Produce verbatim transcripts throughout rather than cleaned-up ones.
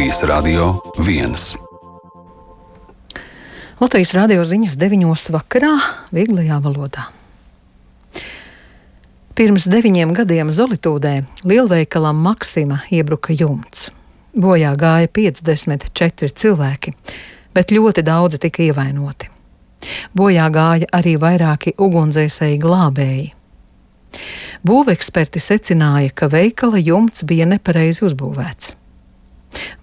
Latvijas Radio viens. Latvijas radio ziņas deviņos vakarā vieglajā valodā. Pirms deviņiem gadiem Zolitūdē lielveikalam Maksima iebruka jumts. Bojā gāja piecdesmit četri cilvēki, bet ļoti daudzi tika ievainoti. Bojā gāja arī vairāki ugunsdzēsēji glābēji. Būveksperti secināja, ka veikala jumts bija nepareizi uzbūvēts.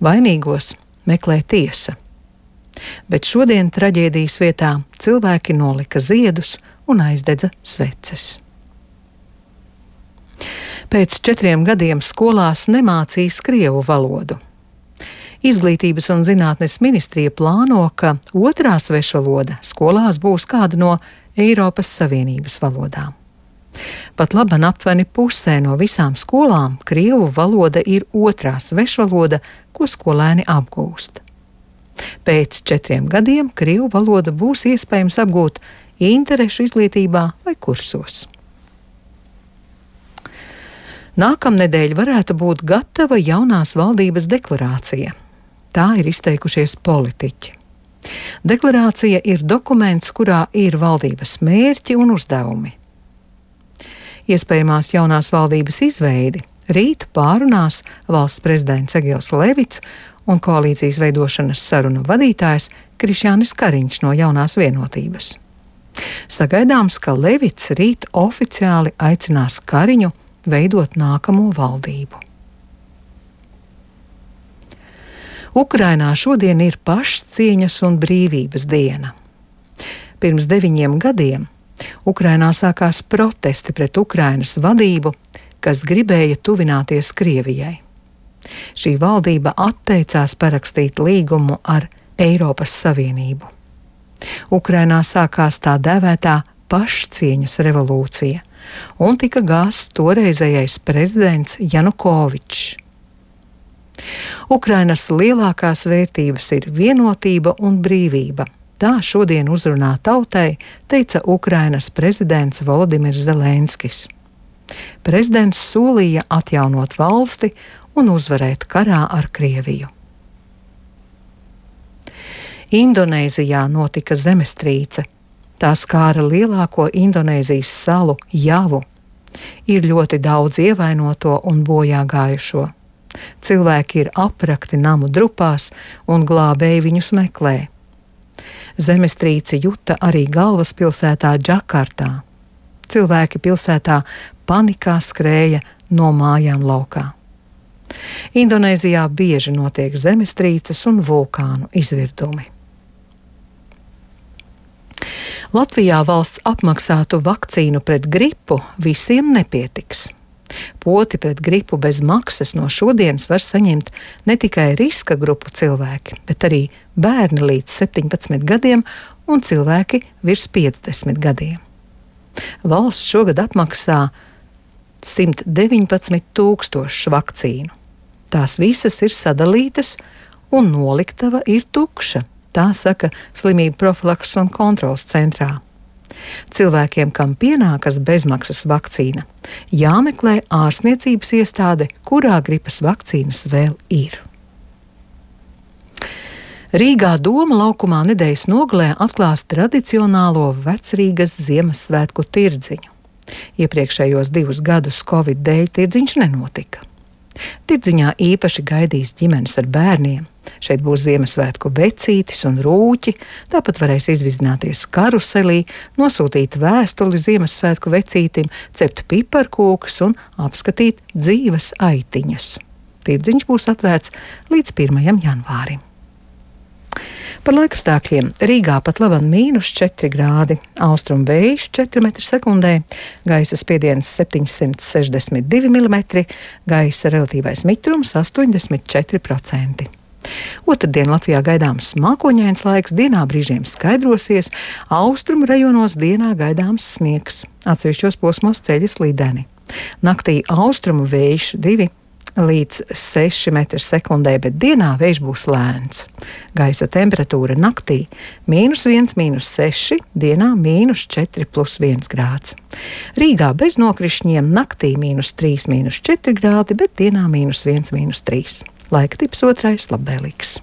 Vainīgos meklē tiesa. Bet šodien traģēdijas vietā cilvēki nolika ziedus un aizdedza sveces. Pēc četriem gadiem skolās nemācīs krievu valodu. Izglītības un zinātnes ministrija plāno, ka otrā svešvaloda skolās būs kāda no Eiropas Savienības valodām. Pat laban aptuveni pusē no visām skolām krievu valoda ir otrā svešvaloda, ko skolēni apgūst. Pēc četriem gadiem krievu valoda būs iespējams apgūt interešu izglītībā vai kursos. Nākamnedēļ varētu būt gatava jaunās valdības deklarācija. Tā ir izteikušies politiķi. Deklarācija ir dokuments, kurā ir valdības mērķi un uzdevumi. Iespējamās jaunās valdības izveidi rīt pārunās valsts prezidents Egils Levits un koalīcijas veidošanas sarunu vadītājs Krišjānis Kariņš no Jaunās vienotības. Sagaidāms, ka Levits rīt oficiāli aicinās Kariņu veidot nākamo valdību. Ukrainā šodien ir pašcieņas un brīvības diena. Pirms deviņiem gadiem Ukrainā sākās protesti pret Ukrainas vadību, kas gribēja tuvināties Krievijai. Šī valdība atteicās parakstīt līgumu ar Eiropas Savienību. Ukrainā sākās tā dēvētā pašcieņas revolūcija, un tika gāsts toreizējais prezidents Janukovičs. Ukrainas lielākās vērtības ir vienotība un brīvība. Tā šodien uzrunā tautai, teica Ukrainas prezidents Volodimirs Zelenskis. Prezidents solīja atjaunot valsti un uzvarēt karā ar Krieviju. Indonēzijā notika zemestrīce. Tā skāra lielāko Indonēzijas salu Javu. Ir ļoti daudz ievainoto un bojā gājušo. Cilvēki ir aprakti namu drupās un glābēji viņus meklē. Zemestrīci juta arī galvaspilsētā Džakartā. Cilvēki pilsētā panikā skrēja no mājām laukā. Indonēzijā bieži notiek zemestrīces un vulkānu izvirdumi. Latvijā valsts apmaksātu vakcīnu pret gripu visiem nepietiks. Poti pret gripu bez maksas no šodienas var saņemt ne tikai riska grupu cilvēki, bet arī bērni līdz septiņpadsmit gadiem un cilvēki virs piecdesmit gadiem. Valsts šogad apmaksā simt deviņpadsmit tūkstošus vakcīnu. Tās visas ir sadalītas un noliktava ir tukša, tā saka Slimību profilakses un kontroles centrā. Cilvēkiem, kam pienākas bezmaksas vakcīna, jāmeklē ārstniecības iestāde, kurā gripas vakcīnas vēl ir. Rīgā Doma laukumā nedēļas nogalē atklās tradicionālo Vecrīgas Ziemassvētku tirdziņu. Iepriekšējos divus gadus Covid dēļ tirdziņš nenotika. Tirdziņā īpaši gaidīs ģimenes ar bērniem. Šeit būs Ziemassvētku vecītis un rūķi, tāpat varēs izvizināties karuselī, nosūtīt vēstuli Ziemassvētku vecītim, cept piparkūkas un apskatīt dzīves aitiņas. Tirdziņš būs atvērts līdz pirmajam janvārim. Par laikapstākļiem Rīgā pat laban mīnus četri grādi, austrumu vējš četri metri sekundē, gaisa spiediens septiņsimt sešdesmit divi milimetri, gaisa relatīvais mitrums astoņdesmit četri procenti. Otrdien Latvijā gaidāms mākoņains laiks, dienā brīžiem skaidrosies, austrumu rajonos dienā gaidāms sniegs, atsevišķos posmos ceļi slideni. Naktī austrumu vējš divi līdz seši metri sekundē, bet dienā vējš būs lēns. Gaisa temperatūra naktī mīnus viens, mīnus seši, dienā mīnus četri plus viens grāds. Rīgā bez nokrišņiem naktī mīnus trīs, mīnus četri grādi, bet dienā mīnus viens, mīnus trīs. Laika tips otrais labvēlīgs.